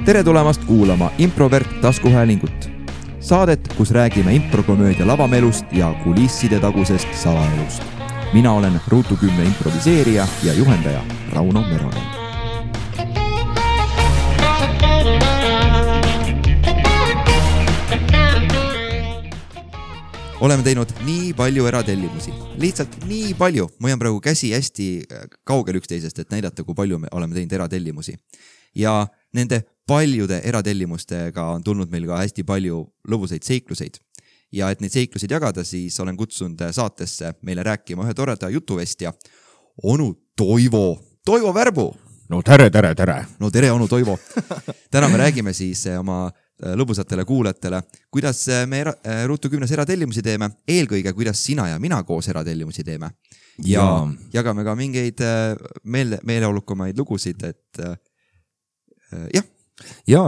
Tere tulemast kuulama Improvert taskuhäälingut. Saadet, kus räägime improkomöödia lavamelust ja kulisside tagusest salaelust. Mina olen Ruutu 10 improviseerija ja juhendaja Rauno Meronen. Oleme teinud nii palju eratellimusi. Lihtsalt nii palju. Ma hoian praegu käsi hästi kaugel üksteisest, et näidata, kui palju me oleme teinud eratellimusi. Ja nende paljude eratellimustega on tulnud meil ka hästi palju lõbusaid seikluseid. Ja et neid seikluseid jagada, siis olen kutsunud saatesse meile rääkima ühe toreda jutuvestja, onu Toivo. Toivo Värbu! No tere! No tere, onu Toivo! Täna me räägime siis oma lõbusatele kuulajatele, kuidas me Ruutu 10 eratellimusi teeme, eelkõige kuidas sina ja mina koos eratellimusi teeme. Ja jagame ka mingeid meeleolukumaid lugusid, et jah. Ja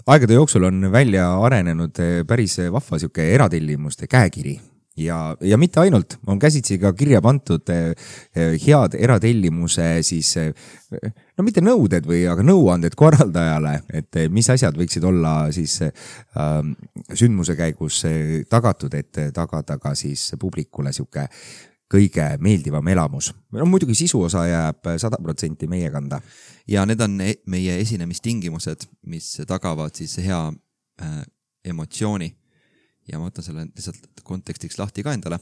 aegade jooksul on välja arenenud päris vahva siuke eratellimuste käekiri. Ja mitte ainult, on käsitsi ka kirja pantud head eratellimuse siis, no mitte nõuded või, aga nõuanded korraldajale, et mis asjad võiksid olla siis sündmuse käigus tagatud, et tagada ka siis publikule siuke kõige meeldivam elamus. No, muidugi sisuosa jääb 100% meie kanda. Ja need on meie esinemistingimused, mis tagavad siis hea emotsiooni. Ja ma võtan selle lihtsalt kontekstiks lahti ka endale.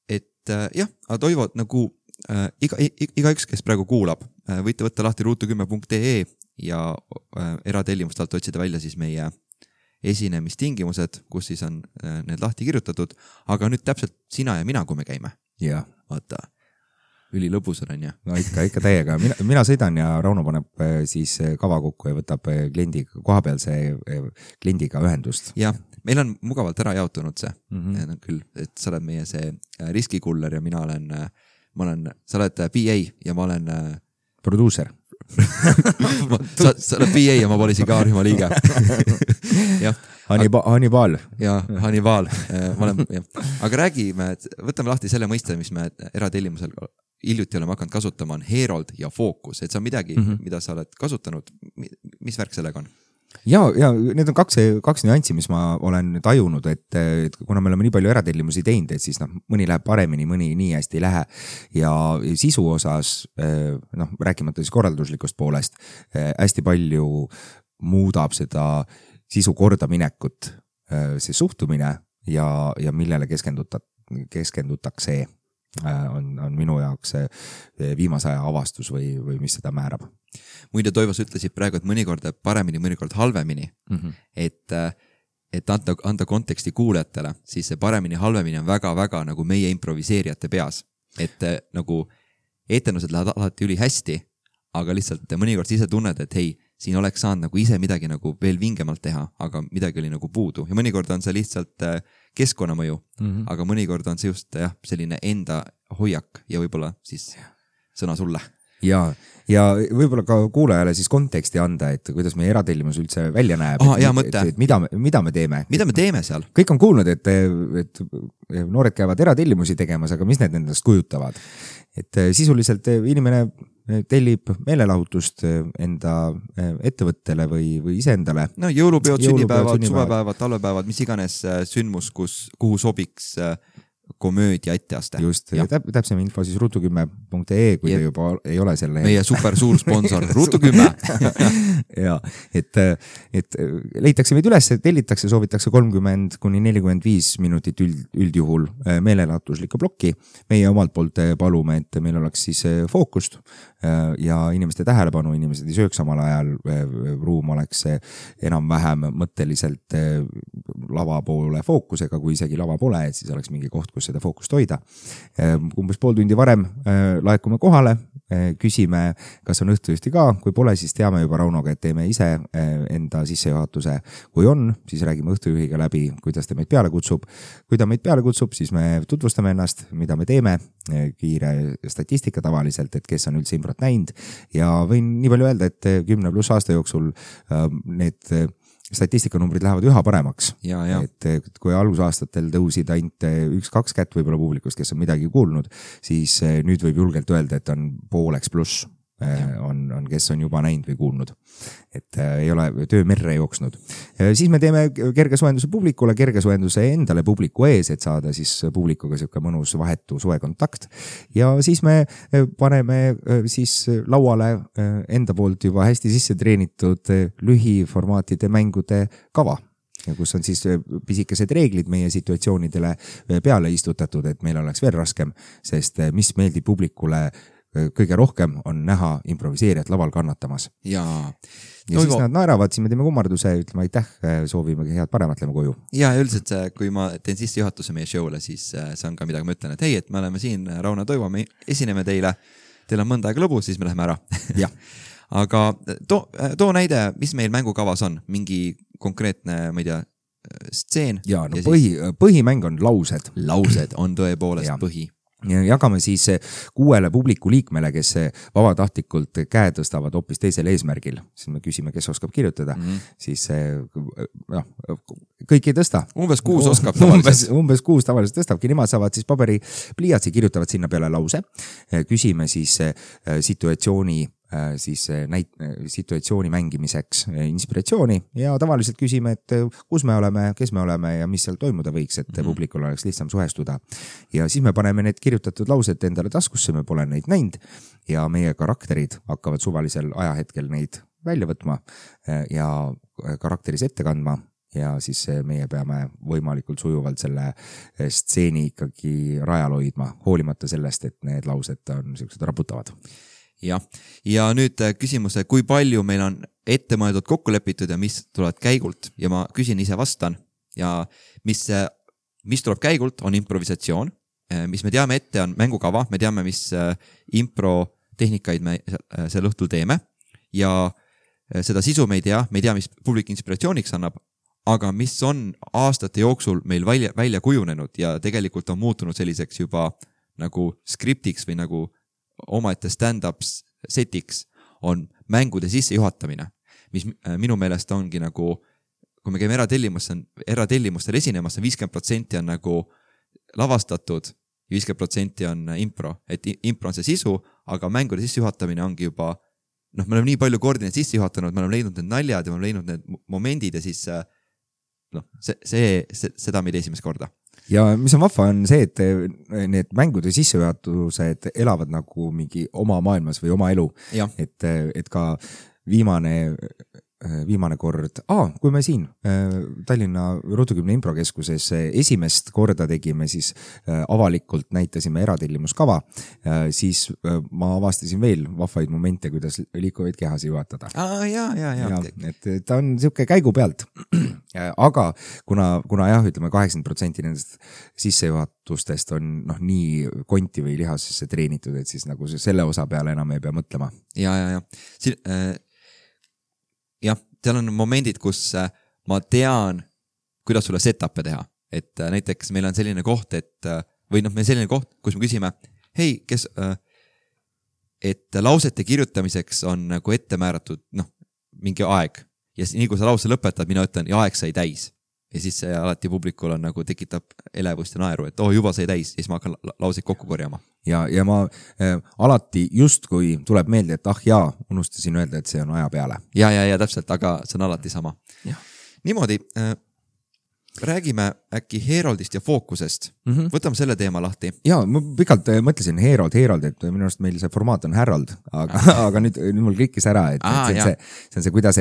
Et jah, Toivo, nagu igaüks, kes praegu kuulab, võite võtta lahti ruutu10.ee ja eratellimust alt otsida välja siis meie esinemistingimused, kus siis on need lahti kirjutatud, aga nüüd täpselt sina ja mina, kui me käime. Ja. Vaata, üli lõbus on, ja? No ikka täiega. Mina sõidan ja Rauno paneb siis kava kokku ja võtab kohapealse kliendiga ühendust. Ja, meil on mugavalt ära jaotunud see. Küll, et sa oled meie see riskikuller ja sa oled PA ja ma olen produuser. sa oled PA ja ma polisin ka rühma liige. Hannibal. Ja, Hannibal. Aga räägime, võtame lahti selle mõiste, mis me eratellimusel hiljuti oleme hakanud kasutama, on Herold ja Focus. Et see on midagi, mida sa oled kasutanud. Mis värk sellega on? Ja need on kaks nüanssi, mis ma olen tajunud, et kuna me oleme nii palju eratellimusi teinud, et siis mõni läheb paremini, mõni nii hästi ei lähe. Ja sisu osas, rääkimata siis korralduslikust poolest, hästi palju muudab seda sisu kordaminekut, see suhtumine ja millele keskendutakse on minu jaoks viimase aja avastus või mis seda määrab. Muide, Toivos ütlesid praegu, et mõnikord paremini, mõnikord halvemini, et anda konteksti kuulajatele, siis see paremini, halvemini on väga-väga nagu meie improviseerijate peas. Et nagu etendused lähevad alati üli hästi, aga lihtsalt mõnikord sa ise tunned, et hei, siin oleks saanud nagu ise midagi nagu veel vingemalt teha, aga midagi oli nagu puudu. Ja mõnikord on see lihtsalt keskkonnamõju, aga mõnikord on see just selline enda hoiak ja võib-olla siis sõna sulle. Ja võib-olla ka kuulajale siis konteksti anda, et kuidas meie eratellimus üldse välja näeb, et mida me teeme. Mida me teeme seal? Kõik on kuulnud, et noored käivad eratellimusi tegemas, aga mis need endast kujutavad? Et sisuliselt inimene tellib meelelahutust enda ettevõttele või iseendale. No jõulupeod, sünnipäevad, suvepäevad, talvepäevad, mis iganes sündmus, kuhu sobiks komöödia etteaste. Just, täpsem info siis ruutu10.ee, kui te juba ei ole selle. Meie super suur sponsor, Ruutu10. Ja, et leitakse meid üles, tellitakse, soovitakse 30-45 minutit üldjuhul meelelahutuslikku plokki. Meie omalt poolt palume, et meil oleks siis fookust ja inimeste tähelepanu, inimesed ei sööks samal ajal, ruum oleks enam-vähem mõtteliselt lava poole fookusega, kui isegi lava pole, et siis oleks mingi koht, kus seda fookust hoida. Umbes pool tundi varem laekume kohale, küsime, kas on õhtujuhti ka, kui pole, siis teame juba Raunoga, et teeme ise enda sissejuhatuse. Kui on, siis räägime õhtujuhiga läbi, kuidas ta meid peale kutsub. Kui ta meid peale kutsub, siis me tutvustame ennast, mida me teeme, kiire statistika tavaliselt, et kes on üldse improt näinud. Ja võin nii palju öelda, et 10+ aasta jooksul need statistikanumbrid lähevad üha paremaks. Et kui alusaastatel tõusid ainult 1-2 kätt võib-olla publikust, kes on midagi kuulnud, siis nüüd võib julgelt öelda, et on pooleks pluss on, kes on juba näinud või kuulnud. Et ei ole töö merre jooksnud. Siis me teeme kergesoojenduse publikule, kergesoojenduse endale publiku ees, et saada siis publikuga siuke mõnus vahetu soe kontakt. Ja siis me paneme siis lauale enda poolt juba hästi sisse treenitud lühiformaatide mängude kava. Ja kus on siis pisikesed reeglid meie situatsioonidele peale istutatud, et meil oleks veel raskem, sest mis meeldib publikule kõige rohkem on näha improviseerijat laval kannatamas. Ja siis nad naeravad, siis me teeme kummarduse, ütleme aitäh, soovimegi head paremat, lähme koju. Ja üldiselt kui ma teen sisse juhatuse meie show'le, siis see on ka midagi, ma ütlen, et hei, et me oleme siin, Rauno Toivo, me esineme teile, teil on mõnda aega lõbu, siis me läheme ära. Jah. Aga too näide, mis meil mängukavas on, mingi konkreetne, ma ei tea, stseen. Ja no põhimäng on laused. Laused on tõepoolest põhi. Ja jagame siis 6 publiku liikmele, kes vabatahtlikult käe tõstavad hoopis teisel eesmärgil. Siis me küsime, kes oskab kirjutada. Siis kõik ei tõsta. Umbes 6 oskab tavaliselt. Umbes 6 tavaliselt tõstabki. Nemad saavad siis paberi pliiatsi, kirjutavad sinna peale lause. Küsime siis situatsiooni mängimiseks inspiratsiooni ja tavaliselt küsime, et kus me oleme, kes me oleme ja mis seal toimuda võiks, et publikul oleks lihtsam suhestuda. Ja siis me paneme need kirjutatud laused endale taskusse, me pole neid näinud ja meie karakterid hakkavad suvalisel ajahetkel neid välja võtma ja karakteris ette kandma. Ja siis meie peame võimalikult sujuvalt selle stseeni ikkagi rajal hoidma, hoolimata sellest, et need laused on sellised raputavad. Ja nüüd küsimuse, kui palju meil on ette mõeldud kokku lepitud ja mis tulevad käigult ja ma küsin ise vastan ja mis tuleb käigult on improvisatsioon, mis me teame ette on mängukava, me teame, mis improtehnikaid me sel õhtul teeme ja seda sisu me ei tea, mis publik inspiratsiooniks annab, aga mis on aastate jooksul meil välja kujunenud ja tegelikult on muutunud selliseks juba nagu skriptiks või nagu omaette stand-up setiks on mängude sisse juhatamine, mis minu meelest ongi nagu, kui me käime eratellimustel esinemas, 50% on nagu lavastatud ja 50% on impro, et impro on see sisu, aga mängude sisse juhatamine ongi juba, me oleme nii palju kordi need sisse juhatanud, me oleme leidnud need naljad ja me oleme leidnud need momendid ja siis seda me ei tee esimest korda. Ja mis on vahva on see, et need mängude sissejuhatused elavad nagu mingi oma maailmas või oma elu. Et ka viimane kord, kui me siin Tallinna Ruudukümne improkeskuses esimest korda tegime, siis avalikult näitasime eratellimuskava, siis ma avastasin veel vahvaid momente, kuidas liikuvaid kehasi juhatada. Et ta on siuke käigu pealt. Aga kuna ütleme 80% nendest sissejuhatustest on nii konti või lihasesse treenitud, et siis nagu selle osa peale enam ei pea mõtlema. Jah, seal on momendid, kus ma tean, kuidas sulle set-up'e teha. Et näiteks meil on selline koht, kus me küsime, hei, et lausete kirjutamiseks on nagu ette määratud mingi aeg. Ja nii kui sa lause lõpetad, mina ütlen, ja aeg sai täis. Ja siis see alati publikul on nagu tekitab elevust ja naeru, et juba sai täis, ja siis ma hakkan lauseid kokku korjama. Ja ma alati just kui tuleb meelde, et unustasin öelda, et see on aja peale. Ja täpselt, aga see on alati sama. Niimoodi, räägime äkki Heroldist ja fookusest. Võtame selle teema lahti. Ja, ma pikalt mõtlesin Herold, et minu arust meil see formaat on Harold, aga nüüd mul klikkis ära, et see on see, kuidas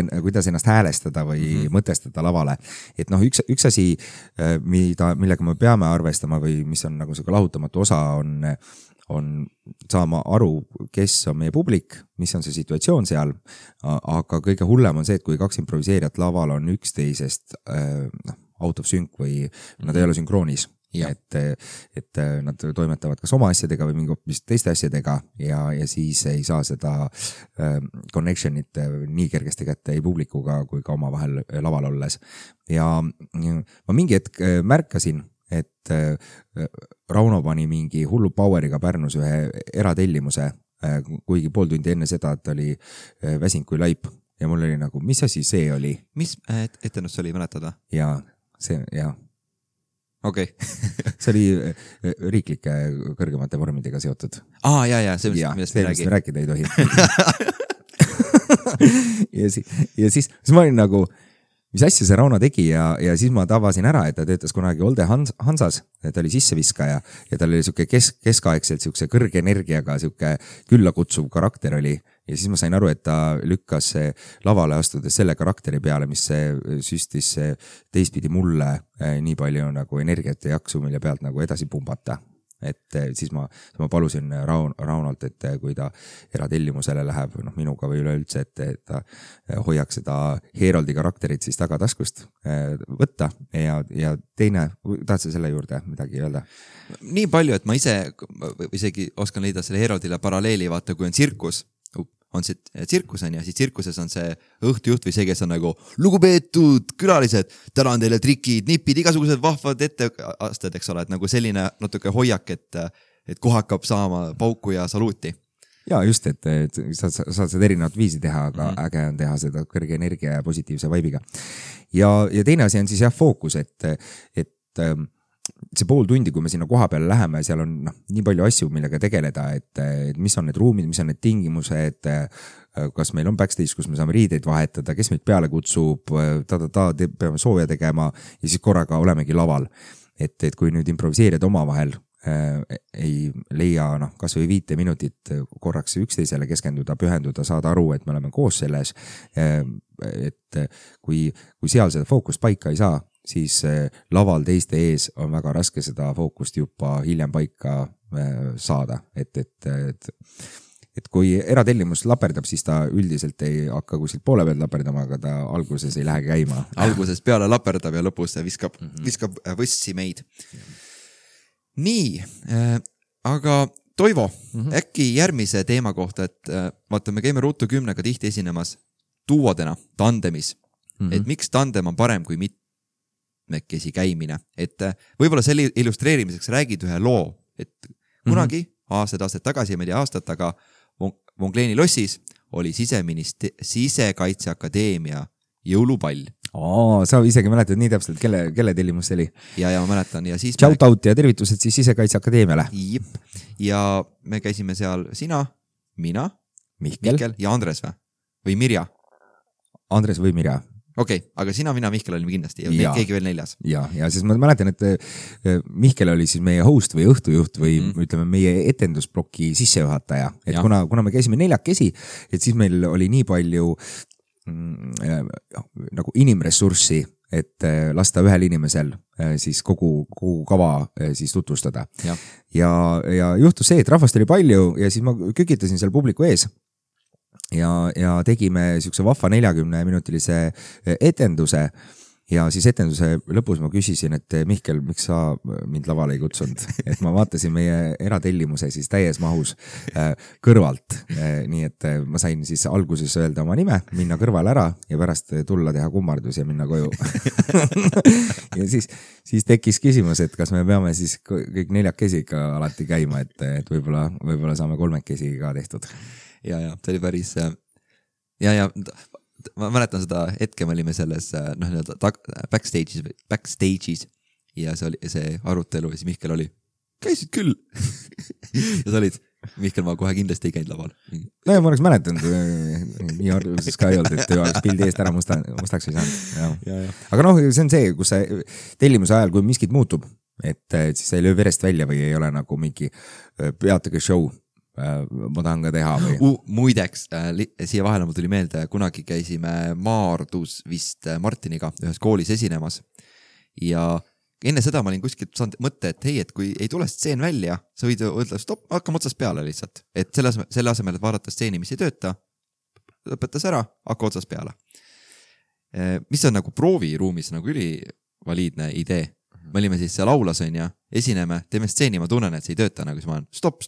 ennast häälestada või mõtestada lavale. Et üks asi, millega me peame arvestama või mis on nagu see lahutamatu osa on saama aru, kes on meie publik, mis on see situatsioon seal, aga kõige hullem on see, et kui 2 improviseerijat laval on üksteisest out of sync või nad ei ole sünkroonis, et nad toimetavad kas oma asjadega või mingi hoopis teiste asjadega ja siis ei saa seda connectionit nii kergesti kätte ei publikuga kui ka oma vahel laval olles. Ja ma mingi hetk märkasin, et Rauno pani mingi hullu poweriga Pärnus ühe eratellimuse, kuigi pool tundi enne seda, et oli väsinud kui laip ja mul oli nagu, mis asi see oli? Mis etendus oli, mäletada? Ja see, okei. See oli riiklike kõrgemate vormidega seotud. Ja, see, millest me rääkida ei tohi. ja siis ma olin nagu, mis asja see Rauno tegi ja siis ma tavasin ära, et ta töötas kunagi Olde Hansas, ta oli sisseviskaja ja tal oli siuke keskaegselt siukse kõrge energiaga siuke külla kutsuv karakter oli ja siis ma sain aru, et ta lükkas lavale astudes selle karakteri peale, mis süstis teistpidi mulle nii palju nagu energiat ja jaksu, mille pealt nagu edasi pumbata. Et siis ma palusin Raunolt, et kui ta eratellimusele läheb minuga või üleüldse, et ta hoiaks seda Heroldi karakterit siis tagataskust võtta ja teine, tahad sa selle juurde midagi öelda? Nii palju, et ma ise isegi oskan leida selle Heroldile paralleeli, vaata kui on tsirkus, on see tsirkus on ja siis tsirkuses on see õhtujuht või see, kes on nagu lugupeetud külalised, täna on teile trikid, nipid, igasugused vahvad etteasted, eks ole, et nagu selline natuke hoiak, et kohe hakkab saama pauku ja saluuti. Ja just, et saad seda erinevat viisi teha, aga äge on teha seda kõrge energia ja positiivse vaibiga. Ja teine asi on siis fookus, et see pool tundi, kui me sinna koha peale läheme, seal on nii palju asju, millega tegeleda, et mis on need ruumid, mis on need tingimused, kas meil on backstage, kus me saame riideid vahetada, kes meid peale kutsub, peame sooja tegema ja siis korraga olemegi laval. Et kui nüüd improviseerida omavahel ei leia kas või 5 minutit korraks üksteisele keskenduda, pühenduda, saada aru, et me oleme koos selles, et kui seal seda fookust paika ei saa, siis laval teiste ees on väga raske seda fookust juba hiljem paika saada. Et kui eratellimus laperdab, siis ta üldiselt ei hakka kuskilt poole pealt laperdama, aga ta alguses ei lähe käima. Alguses peale laperdab ja lõpus viskab võssi meid. Nii, aga Toivo, äkki järgmise teema kohta, et vaata, me käime Ruutu 10-ga tihti esinemas duodena, tandemis. Et miks tandem on parem kui mitmekesi käimine. Et võib-olla selle illustreerimiseks räägid ühe loo, et kunagi aastaid tagasi, ma ei tea aastat, aga Vongleeni lossis oli Sisekaitseakadeemia jõulupall. Sa isegi mäletad nii täpselt, kelle tellimus see oli? Ja ma mäletan. Ja siis shout out ja tervitused siis Sisekaitseakadeemiale. Jip. Ja me käisime seal sina, mina, Mihkel ja Andres või Mirja? Andres või Mirja. Okei, aga sina, mina, Mihkel olime kindlasti ja keegi veel 4. Ja siis ma mäletan, et Mihkel oli siis meie host või õhtujuht või ütleme meie etendusbloki sissejuhataja. Et kuna me käisime 4, et siis meil oli nii palju nagu inimressurssi, et lasta ühel inimesel siis kogu kava siis tutvustada. Ja juhtus see, et rahvast oli palju ja siis ma kükitasin seal publiku ees ja tegime siukse vahva 40-minutilise etenduse ja siis etenduse lõpus ma küsisin, et Mihkel, miks sa mind lavale ei kutsunud, et ma vaatasin meie eratellimuse siis täies mahus kõrvalt, nii et ma sain siis alguses öelda oma nime, minna kõrvale ära ja pärast tulla teha kummardus ja minna koju. Ja siis tekkis küsimus, et kas me peame siis kõik 4 ikka alati käima, et võib-olla saame 3 ka tehtud. Ja see oli päris ma mäletan seda hetke, me olime selles backstage'is ja see oli see arutelu ja siis Mihkel oli, käisid küll. Ja sa olid, Mihkel, ma kohe kindlasti ei käinud laval. No ja ma oleks mäletanud, nii arvuses ka ei olnud, et oleks pildi eest ära mustaks ei saanud. Aga see on see, kus tellimuse ajal, kui miskit muutub, et siis ei löö verest välja või ei ole nagu mingi peatage show. Ma tahan ka teha või? Muideks, siia vahele mul tuli meelde, kunagi käisime Maardus vist Martiniga ühes koolis esinemas ja enne seda ma olin kuskilt saanud mõtte, et hei, et kui ei tule stseen välja, sa võid öelda, stopp, hakkame otsast peale lihtsalt. Et selle asemel, et vaadata stseeni, mis ei tööta, lõpetas ära, hakka otsast peale. Mis on nagu prooviruumis nagu ülivaliidne idee. Me olime siis seal aulas on ja esineme, teeme stseeni, ma tunnen, et see ei tööta, nagu siis ma olen stopp.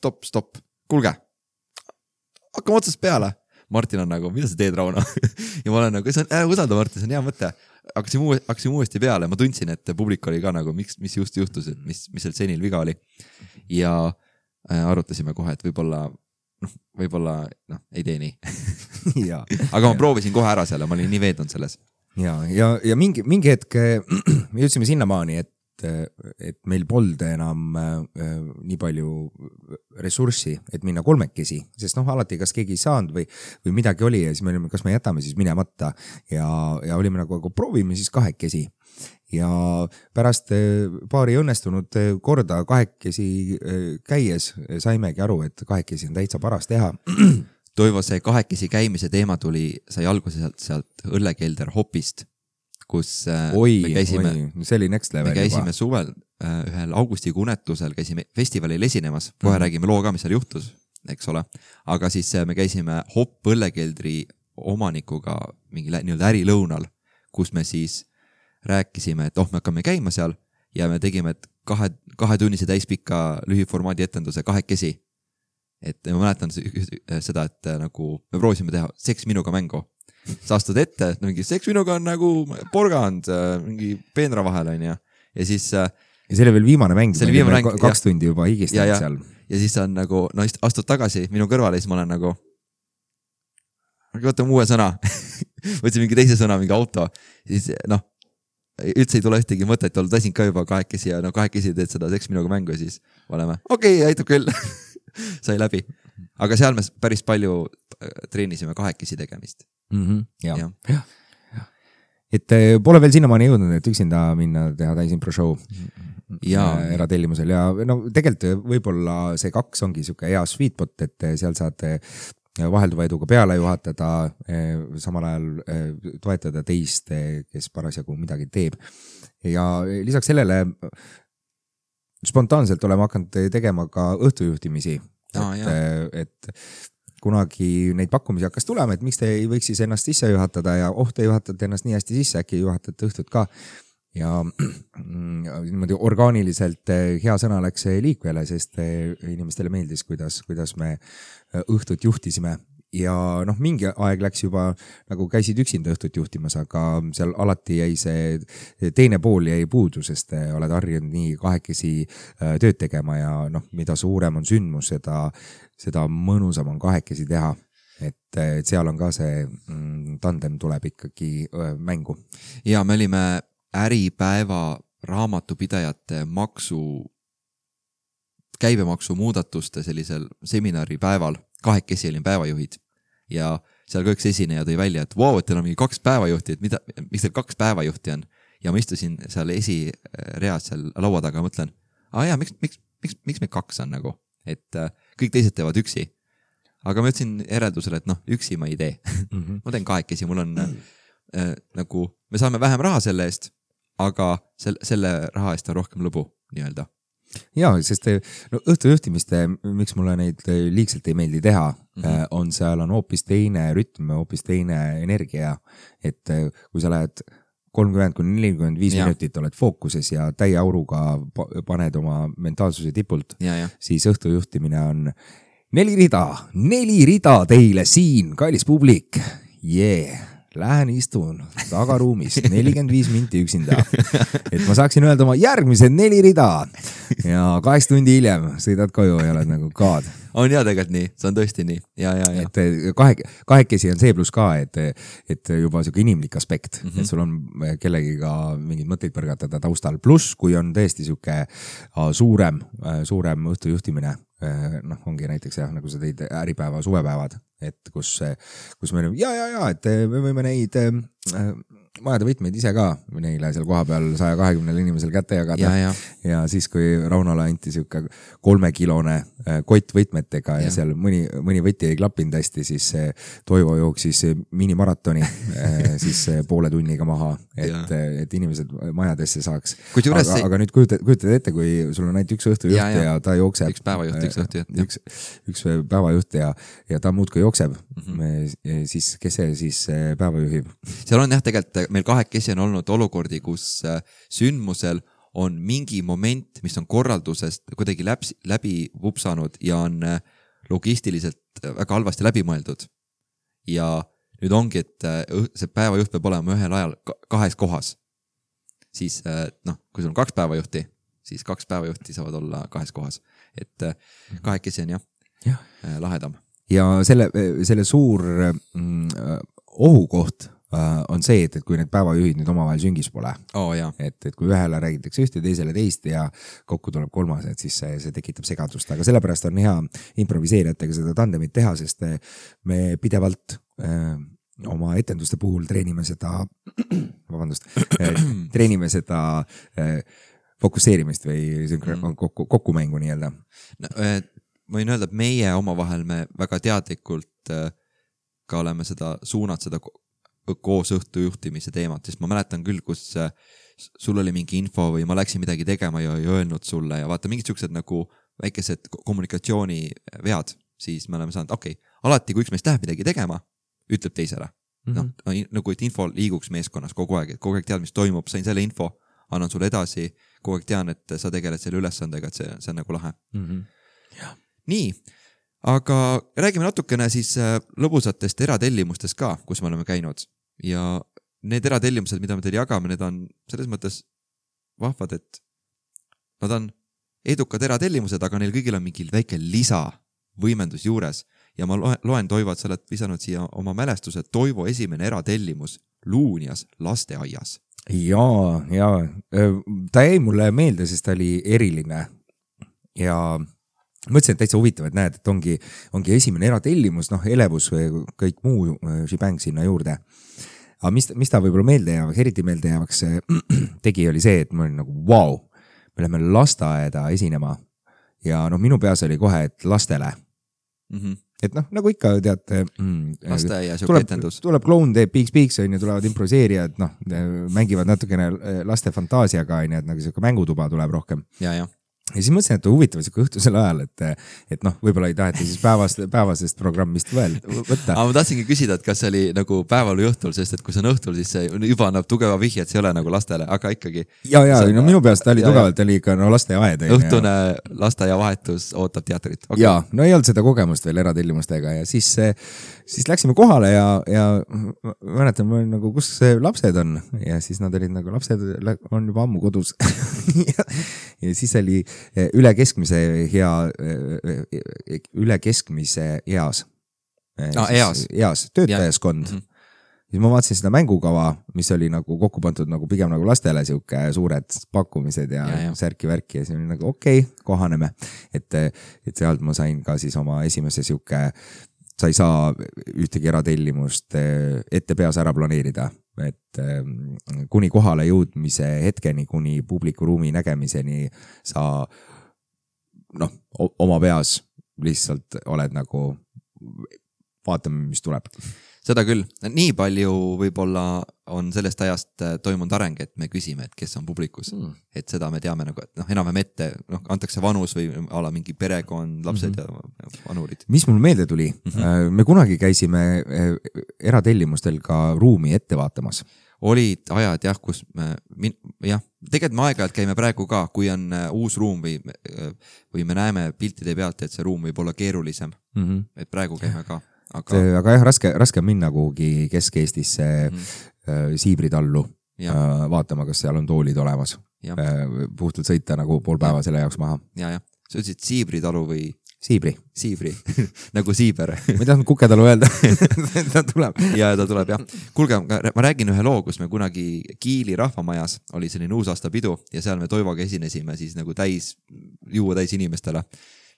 Kulge, hakkame otsast peale. Martin on nagu, mida sa teed, Rauno? Ja ma olen nagu, usalda Martin, see on hea mõte. Hakkasime uuesti peale, ma tundsin, et publik oli ka nagu, mis just juhtus, et mis seal seenil viga oli. Ja arutasime kohe, et võib-olla ei tee nii. Aga ma proovisin kohe ära selle, ma olin nii veedunud selles. Ja mingi hetk me jõudsime sinnamaani, et et meil polnud enam nii palju ressurssi, et minna kolmekesi, sest alati kas keegi ei saanud või midagi oli ja siis me olime, kas me jätame siis minemata ja olime nagu proovime siis kahekesi. Ja pärast paari õnnestunud korda kahekesi käies saimegi aru, et kahekesi on täitsa paras teha. Toivo, see kahekesi käimise teema sai alguse sealt õllekelder Hopist, kus me käisime, see oli next level me käisime suvel ühel augustikuu unetusel, käisime festivalil esinemas, kohe räägime loo ka, mis seal juhtus, eks ole, aga siis me käisime Hopp õllekeldri omanikuga mingi nii-öelda ärilõunal, kus me siis rääkisime, et me hakkame käima seal ja me tegime kahetunnise täispika lühiformaadi etenduse kahekesi. Et ma mäletan seda, et nagu me proovisime teha seks minuga mängu. Sa astud ette, et mingi seks minuga on nagu porgand mingi peenra vahel on ja siis... Ja see oli veel viimane mäng, 2 tundi juba higistanud seal. Ja siis on nagu, astud tagasi minu kõrvale ja siis ma olen nagu võtame uue sõna. Võtsin mingi teise sõna, mingi auto. Siis üldse ei tule ühtegi mõtet, tasin ka juba kahekesi ja kahekesi teed seda seks minuga mängu ja siis oleme, aitab küll. Sai läbi. Aga seal me päris palju treenisime kahekesi tegemist. Ja. Et pole veel sinnamaani jõudnud, et üksinda minna teha täisimpro show eratellimusel ja tegelikult võib-olla see 2 ongi siuke hea sweet spot, et seal saad vahelduva eduga peale juhatada, samal ajal toetada teist, kes parasjagu midagi teeb. Ja lisaks sellele spontaanselt oleme hakanud tegema ka õhtujuhtimisi, et kunagi neid pakkumisi hakkas tulema, et miks te ei võiks siis ennast sisse juhatada ja te juhatate ennast nii hästi sisse, äkki juhatate õhtut ka. Ja niimoodi orgaaniliselt hea sõna läks liikvele, sest inimestele meeldis, kuidas me õhtut juhtisime. Ja mingi aeg läks juba, nagu käisid üksinda õhtut juhtimas, aga seal alati jäi see teine pool jäi puudu, sest oled harjunud nii kahekesi tööd tegema ja mida suurem on sündmus, seda mõnusam on kahekesi teha. Et seal on ka see tandem tuleb ikkagi mängu. Ja me olime äripäeva raamatupidajate käibemaksu muudatuste sellisel seminaripäeval, kahekesi olin päevajuhid ja seal kõik esineja tõi välja, et et teil on mingi 2 päevajuhti, et miks teil 2 päevajuhti on ja ma istusin seal esireas seal laua taga ja mõtlen, miks me 2 on nagu, et kõik teised teevad üksi, aga ma ütlesin järeldusele, et üksi ma ei tee. Ma teen kahekesi, mul on nagu, me saame vähem raha selle eest, aga selle raha eest on rohkem lõbu nii-öelda. Jaa, sest õhtujuhtimiste, miks mulle neid liigselt ei meeldi teha, on seal on hoopis teine rütm, hoopis teine energia, et kui sa lähed 30-45 minutit oled fookuses ja täie auruga paned oma mentaalsuse tipult, siis õhtujuhtimine on 4 rida teile siin, kallis publik, lähen istun tagaruumis 45 minti üksinda, et ma saaksin öelda oma järgmised 4 rida ja 8 tundi hiljem sõidad koju ja oled nagu God. On tegelikult nii, see on tõesti nii. Ja. Et kahekesi on see plus ka, et juba selline inimlik aspekt, et sul on kellegiga mingid mõtteid põrgatada taustal, pluss kui on tõesti selline suurem õhtujuhtimine, ongi näiteks nagu sa tõid äripäeva suvepäevad, et kus me olime, et me võime neid majade võtmeid ise ka neile seal koha peal 120 inimesel kätte jagada. Ja siis, kui Raunole anti siuke 3-kilone kott võtmetega ja seal mõni võti ei klappinud hästi, siis Toivo jooksis minimaratoni siis poole tunniga maha, et inimesed majadesse saaks. Aga nüüd kujutad ette, kui sul on ainult üks õhtujuht ja ta jookseb. Üks päevajuht, üks õhtujuht. Üks päevajuht ja ta muudkui jookseb. Siis kes see siis päeva juhib? Seal on tegelikult meil kahekesi on olnud olukordi, kus sündmusel on mingi moment, mis on korraldusest kuidagi läbi vupsanud ja on logistiliselt väga halvasti läbi mõeldud. Ja nüüd ongi, et see päevajuht peab olema ühel ajal 2 kohas. Siis, kui sul on 2 päevajuhti, siis 2 päevajuhti saavad olla 2 kohas. Et kahekesi on lahedam. Ja selle suur ohukoht on see, et kui need päevajuhid nüüd omavahel süngis pole. Et kui ühele räägitakse ühte, teisele teist ja kokku tuleb kolmas, et siis see tekitab segadust, aga sellepärast on hea improviseerijatega seda tandemit teha, sest me pidevalt oma etenduste puhul treenime seda fokusseerimist või kokkumängu nii-öelda. Ma võin öelda, et meie omavahel me väga teadlikult ka oleme suunad seda koos õhtujuhtimise teemat, sest ma mäletan küll, kus sul oli mingi info või ma läksin midagi tegema ja öelnud sulle ja vaata mingid siuksed nagu väikesed kommunikatsioonivead, siis me oleme saanud, alati kui üks meist läheb midagi tegema, ütleb teisele. Nagu et info liiguks meeskonnas kogu aeg, et kogu aeg tead, mis toimub, sain selle info, annan sulle edasi, kogu aeg tean, et sa tegeled selle ülesandega, et see on nagu lahe. Nii, aga räägime natukene siis lõbusatest eratellimustest ka, kus me oleme käinud ja need eratellimused, mida me teile jagame, need on selles mõttes vahvad, et nad on edukad eratellimused, aga neil kõigil on mingi väike lisavõimendus juures ja ma loen Toivo, et sa oled visanud siia oma mälestused Toivo esimene eratellimus Luunias lasteaias. Ja ta jäi mulle meelde, sest ta oli eriline ja mõtlesin, et täitsa huvitav, et näed, et ongi esimene eratellimus, elevus või kõik muu šibäng sinna juurde. Aga mis ta võib-olla meelde jäävaks, eriti meelde jäävaks tegi, oli see, et ma olin nagu vau, me läheme lasteaeda esinema ja minu peas oli kohe, et lastele. Et nagu ikka teate, lasteaia siuke etendus. Tuleb kloun, teeb piiks, tulevad improviseerijad, mängivad natukene laste fantaasiaga, et nagu siuke mängutuba tuleb rohkem. Ja siis mõtlesin, et huvitav siuke õhtusel ajal, et võib-olla ei taheta siis päevasest programmist võtta. Aga ma tahtsingi küsida, et kas see oli nagu päeval või õhtul, sest et kui see on õhtul, siis see juba annab tugeva vihje, et see ei ole nagu lastele, aga ikkagi. Minu peast ta oli tugevalt, oli ikka lasteaed. Õhtune lasteaia vahetus ootab teatrit. Ja, ei olnud seda kogemust veel eratellimustega ja siis läksime kohale ja mäletan, ma olin nagu, kus lapsed on ja siis nad olid nagu, lapsed on juba ammu kodus ja siis oli üle keskmise eas töötajaskond. Siis ma vaatasin seda mängukava, mis oli nagu kokku pandud nagu pigem nagu lastele siuke suured pakkumised ja särki-värki ja siis oli nagu kohaneme. Et sealt ma sain ka siis oma esimese siuke, sa ei saa ühtegi eratellimust ette peas ära planeerida, et kuni kohale jõudmise hetkeni, kuni publikuruumi nägemiseni sa oma peas lihtsalt oled nagu vaatame, mis tuleb. Seda küll. Nii palju võib-olla on sellest ajast toimunud areng, et me küsime, et kes on publikus. Et seda me teame nagu, et enam-vähem ette antakse vanus või ala mingi perekond, lapsed ja vanurid. Mis mul meelde tuli? Me kunagi käisime eratellimustel ka ruumi ette vaatamas. Olid ajad kus tegelikult me aeg-ajalt käime praegu ka, kui on uus ruum või me näeme piltide pealt, et see ruum võib olla keerulisem. Et praegu käime ka. Aga raske on minna kuhugi Kesk-Eestisse Siibritallu vaatama, kas seal on toolid olemas. Puhtalt sõita nagu pool päeva selle jaoks maha. Sa ütlesid Siibritalu või? Siibri. Nagu Siiber. Ma ei tahtnud Kuketalu öelda. Ta tuleb. Ja ta tuleb, Kuulge, ma räägin ühe loo, kus me kunagi Kiili rahvamajas oli selline uusaastapidu ja seal me Toivoga esinesime siis nagu juua täis inimestele.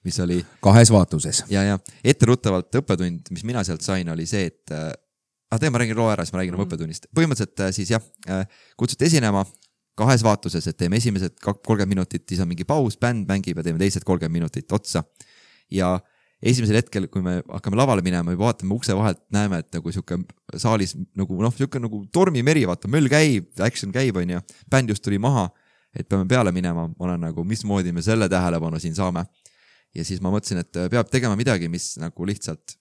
Mis oli kahes vaatuses. Ja etteruttavalt õppetund, mis mina sealt sain, oli see, et ma räägin loo ära, siis ma räägin õppetunnist. Põhimõtteliselt siis kutsuti esinema kahes vaatuses, et teeme esimesed 30 minutit, siis on mingi paus, bänd mängib ja teeme teised 30 minutit otsa. Ja esimesel hetkel, kui me hakkame lavale minema ja vaatame ukse vahelt, näeme, et nagu siuke saalis siuke nagu tormimeri, vaata, möll käib, action käib, on ja bänd just tuli maha, et peame peale minema, ma olen nagu, mismoodi me selle tähelepanu siin saame. Ja siis ma mõtlesin, et peab tegema midagi, mis nagu lihtsalt,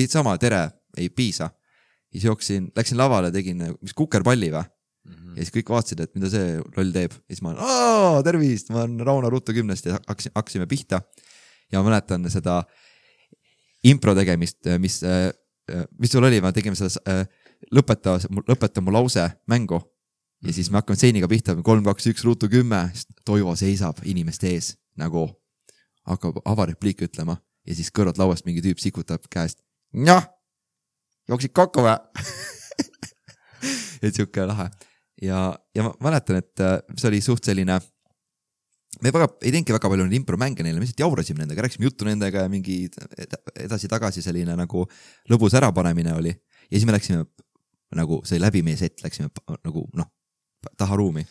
sama tere ei piisa. Siis läksin lavale, tegin mis kukerpalli või? Ja siis kõik vaatasid, et mida see loll teeb. Ja siis ma olen, tervist, ma olen Rauno Ruttu 10 ja hakkasime pihta. Ja ma mäletan seda impro tegemist, mis sul oli, ma tegime seda lõpeta mu lause mängu. Ja siis me hakkame seiniga pihta, 3, 2, 1, Ruttu 10, Toivo seisab inimeste ees, nagu hakkab avarepliik ütlema ja siis kõrvalt lauast mingi tüüp sikutab käest. Jooksid kokku või? et siuke lahe. Ja ma mäletan, et see oli suht selline, me ei teinudki väga palju impromänge neile, me lihtsalt jaurasime nendega, rääkisime juttu nendega ja mingi edasi-tagasi selline nagu lõbus ärapanemine oli. Ja siis me läksime nagu see läbi meie set, läksime nagu taha ruumi.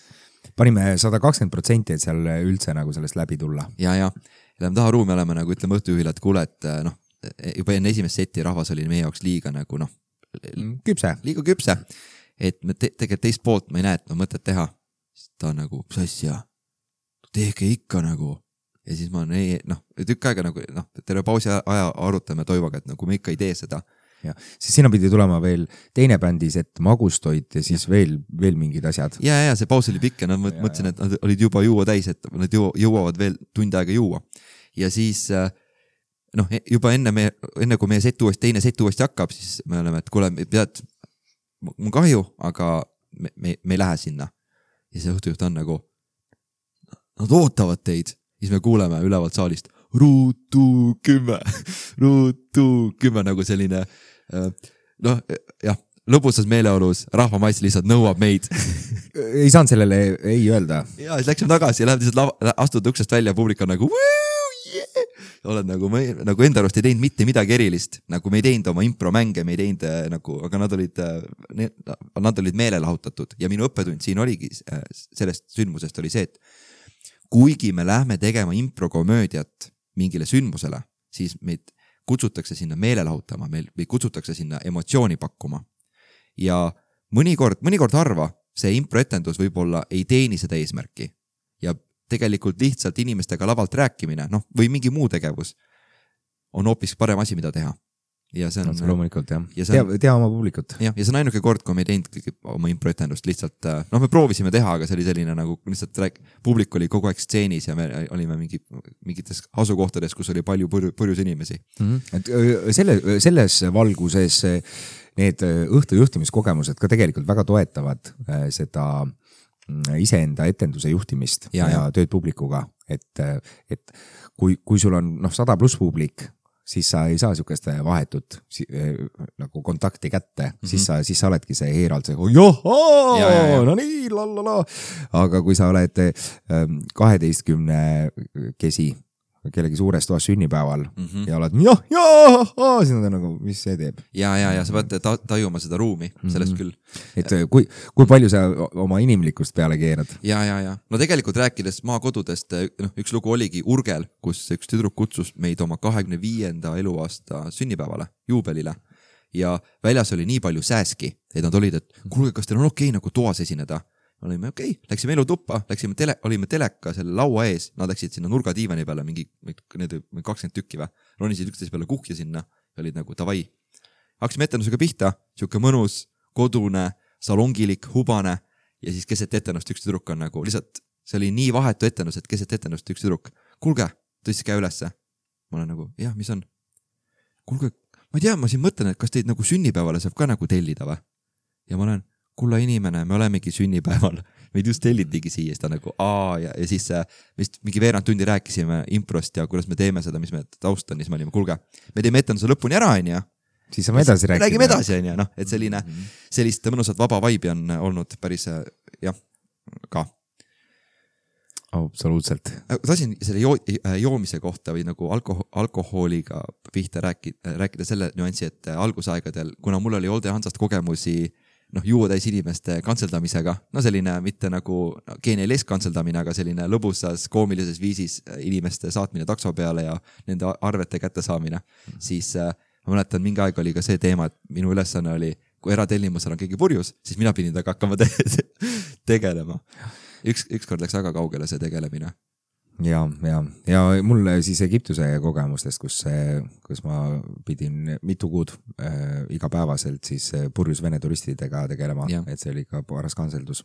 Panime 120%, et seal üldse nagu sellest läbi tulla. Ja lähme taha ruumi, oleme nagu ütleme õhtujuhile, et kuule, et juba enne esimest seti rahvas oli meie jaoks liiga nagu liiga küpse, et me tegelikult teist poolt ma ei näe, et ma mõtet teha. Siis ta nagu, mis asja, tehke ikka nagu. Ja siis ma tükk aega nagu, terve pausi aja arutame Toivoga, et nagu me ikka ei tee seda. Ja, siis sinna pidi tulema veel teine bändis, et magustoit ja siis veel mingid asjad. Ja see paus oli pikk ja nad mõtlesin, et nad olid juba juua täis, et nad jõuavad veel tund aega juua. Ja siis juba enne kui meie teine set uuesti hakkab, siis me oleme, et kuule, mul kahju, aga me ei lähe sinna. Ja see õhtujuht on nagu, nad ootavad teid. Siis me kuuleme ülevalt saalist ruutu 10 nagu selline lõbusas meeleolus rahvamaiss lihtsalt nõuab meid. Ei saanud sellele ei öelda. Ja siis läksime tagasi ja lähed lihtsalt astud uksest välja, publik on nagu oled nagu enda arust ei teinud mitte midagi erilist, nagu me ei teinud oma impromänge, me ei teinud nagu, aga nad olid meelelahutatud ja minu õppetund siin oligi sellest sündmusest oli see, et kuigi me lähme tegema improkomöödiat mingile sündmusele, siis meid kutsutakse sinna meelelahutama, meid kutsutakse sinna emotsiooni pakkuma. Ja mõnikord harva see improetendus võib-olla ei teeni seda eesmärki. Ja tegelikult lihtsalt inimestega lavalt rääkimine, või mingi muu tegevus on hoopis parem asi, mida teha. Ja see on loomulikult, jah. Tea oma publikut. Ja see on ainuke kord, kui me ei teinud oma improetendust lihtsalt, me proovisime teha, aga see oli selline nagu lihtsalt publik oli kogu aeg stseenis ja me olime mingites asukohtades, kus oli palju purjus inimesi. Et selles valguses need õhtujuhtimiskogemused ka tegelikult väga toetavad seda iseenda etenduse juhtimist ja tööd publikuga, et kui sul on 100+ publik, siis sa ei saa sükeste vahetut nagu kontakti kätte, siis sa oledki see heeralt see no nii, lalala. Aga kui sa oled 12 kesi kellegi suures toas sünnipäeval ja oled siis nad on nagu, mis see teeb? Ja sa pead tajuma seda ruumi, sellest küll. Et kui palju sa oma inimlikust peale keerad? Ja. No tegelikult rääkides maakodudest, üks lugu oligi Urgel, kus üks tüdruk kutsus meid oma 25. eluaasta sünnipäevale, juubelile. Ja väljas oli nii palju sääski, et nad olid, et kuulge, kas teil on okei nagu toas esineda? Olime okei, läksime elutuppa, olime teleka selle laua ees, nad läksid sinna nurgadiivani peale, mingi 20 tükki või, ronisid üksteise peale kuhja sinna, olid nagu davai. Hakkasime etendusega pihta, siuke mõnus, kodune, salongilik, hubane ja siis keset etendust üks tüdruk on nagu, lihtsalt see oli nii vahetu etendus, et keset etendust üks tüdruk, kuulge, tõstis käe ülesse. Ma olen nagu, jah, mis on? Kuulge, ma ei tea, ma siin mõtlen, et kas teid nagu sünnipäevale saab ka nagu tellida või? Ja ma olen kulla inimene, me olemegi sünnipäeval, meid just tellitigi siia, siis ta nagu ja siis mingi veerand tundi rääkisime improst ja kuidas me teeme seda, mis me taust on, siis me olime, kuulge, me teeme etenduse lõpuni ära, siis saame edasi rääkida. Räägime edasi, et sellist mõnusat vaba vibe on olnud päris, ka. Absoluutselt. Tahtsin selle joomise kohta või nagu alkohooliga pihta rääkida selle nüansi, et algusaegadel, kuna mul oli Olde Hansast kogemusi juua täis inimeste kantseldamisega, selline mitte nagu geenialis kantseldamine, aga selline lõbusas koomilises viisis inimeste saatmine takso peale ja nende arvete kätte saamine. Siis ma mäletan, mingi aeg oli ka see teema, et minu ülesanne oli, kui eratellimusel on keegi purjus, siis mina pidin taga hakkama tegelema. Ükskord läks väga kaugele see tegelemine. Ja mul siis Egiptuse kogemustest, kus ma pidin mitu kuud igapäevaselt siis purjus vene turistidega tegelema, et see oli ka paras kanseldus.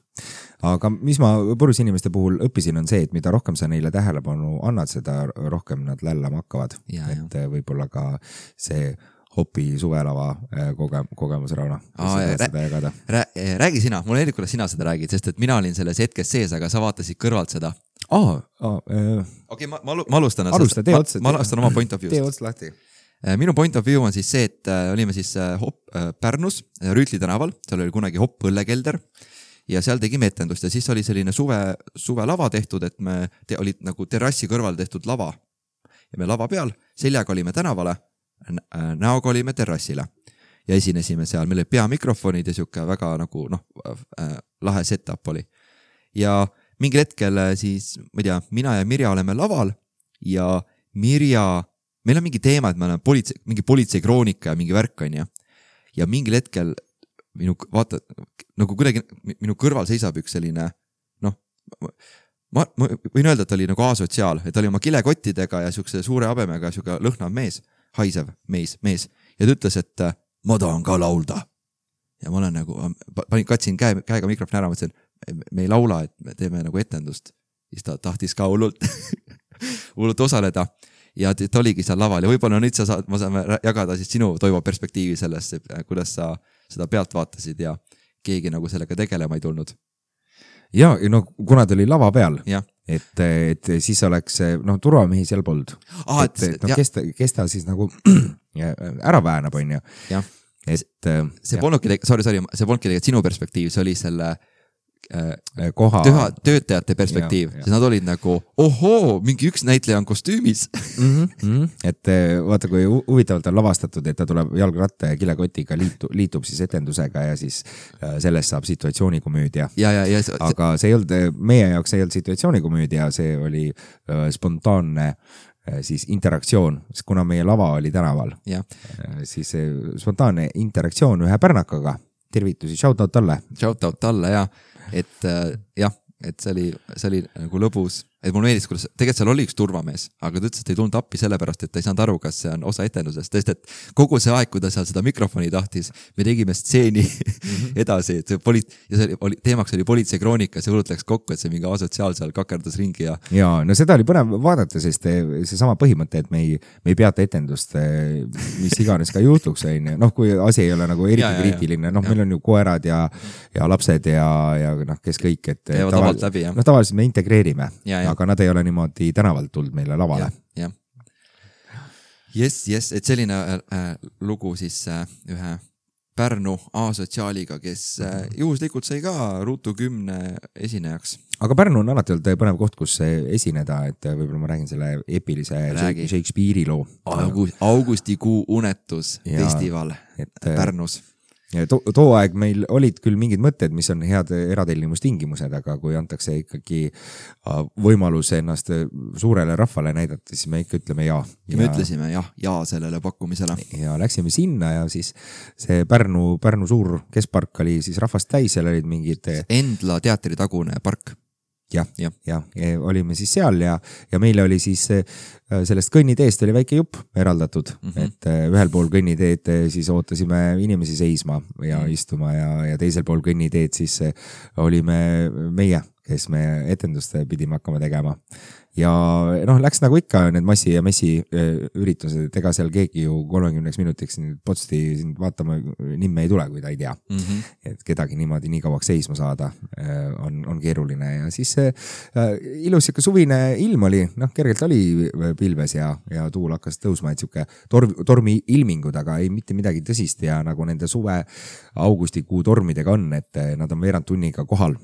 Aga mis ma purjus inimeste puhul õppisin on see, et mida rohkem sa neile tähelepanu annad, seda rohkem nad lällama hakkavad. Et võib-olla ka see Hopi suvelava kogemus, Rauno. Räägi sina, mul ei kuidas sina seda räägid, sest et mina olin selles hetkes sees, aga sa vaatasid kõrvalt seda. Okei, ma alustan. Alusta, tee otsa. Ma alustan oma point of view'st. Tee otsa lahti. minu point of view on siis see, et olime siis Pärnus Rüütli tänaval, seal oli kunagi Hopp õllekelder ja seal tegime etendust ja siis oli selline suve lava tehtud, et me olid nagu terrassi kõrval tehtud lava ja me lava peal seljaga olime tänavale, näoga olime terrassile ja esinesime seal, meil oli peamikrofonid ja siuke väga nagu lahe setup oli ja mingil hetkel siis, ma ei tea, mina ja Mirja oleme laval ja Mirja meil on mingi teema, et me oleme mingi politseikroonika ja mingi värk on ja mingil hetkel vaata, nagu kuidagi minu kõrval seisab üks selline, ma võin öelda, et ta oli nagu asotsiaal, et ta oli oma kilekottidega ja siukse suure habemega siuke lõhnav mees, haisev mees ja ta ütles, et ma tahan ka laulda. Ja ma olen nagu, katsin käega mikrofoni ära, mõtlesin, me ei laula, et me teeme nagu etendust. Siis ta tahtis ka hullult osaleda. Ja ta oligi seal laval ja võib-olla nüüd ma saame jagada siis sinu Toivo perspektiivi sellest, kuidas sa seda pealt vaatasid ja keegi nagu sellega tegelema ei tulnud. Ja no kuna ta oli lava peal, et siis oleks, turvamehi seal polnud. Kes ta siis nagu ära väänab, on ju. See polnudki tegelikult sinu perspektiiv, see oli selle koha töötajate perspektiiv, sest nad olid nagu ohoo, mingi üks näitleja on kostüümis. Et vaata, kui huvitavalt on lavastatud, et ta tuleb jalgratta ja kilekotiga liitub siis etendusega ja siis sellest saab situatsioonikomöödia. Aga see ei olnud, meie jaoks ei olnud situatsioonikomöödia, see oli spontaanne siis interaktsioon, kuna meie lava oli tänaval. Siis spontaanne interaktsioon ühe pärnakaga. Tervitusi, shoutout talle. Shoutout talle, et see oli nagu lõbus, et mul meeldis, kuidas tegelikult seal oli üks turvamees, aga ta ütles, et ei tulnud appi sellepärast, et ta ei saanud aru, kas see on osa etendusest, sest et kogu see aeg, kui ta seal seda mikrofoni tahtis, me tegime stseeni edasi, et teemaks oli politseikroonika, see hullult läks kokku, et see mingi asotsiaal seal kakerdas ringi ja no seda oli põnev vaadata, sest see sama põhimõte, et me ei peata etendust, mis iganes ka juhtuks, kui asi ei ole nagu eriti kriitiline, meil on ju koerad ja lapsed ja kes kõik, et tavaliselt me integreerime, aga nad ei ole niimoodi tänavalt tulnud meile lavale. Yes, et selline lugu siis ühe Pärnu asotsiaaliga, kes juhuslikult sai ka Ruutu 10 esinejaks. Aga Pärnu on alati olnud põnev koht, kus esineda, et võib-olla ma räägin selle epilise Shakespeare'i loo. Augustikuu unetus festival Pärnus. Too aeg meil olid küll mingid mõtted, mis on head eratellimustingimused, aga kui antakse ikkagi võimalus ennast suurele rahvale näidata, siis me ikka ütleme ja. Ja me ütlesime ja sellele pakkumisele. Ja läksime sinna ja siis see Pärnu suur keskpark oli siis rahvast täis, seal olid mingid Endla teatri tagune park. Ja olime siis seal ja meile oli siis sellest kõnniteest oli väike jupp eraldatud, et ühel pool kõnniteed siis ootasime inimesi seisma ja istuma ja teisel pool kõnniteed siis olime meie, kes me etendust pidime hakkama tegema. Ja läks nagu ikka need massi ja messi üritused, et ega seal keegi ju 30 minutiks potsti vaatama nimme ei tule, kui ta ei tea. Et kedagi niimoodi nii kauaks seisma saada on keeruline ja siis ilus siuke suvine ilm oli, kergelt oli pilves ja tuul hakkas tõusma, et siuke tormi ilmingud, aga ei mitte midagi tõsist ja nagu nende suve augustikuu tormidega on, et nad on veerand tunniga kohal.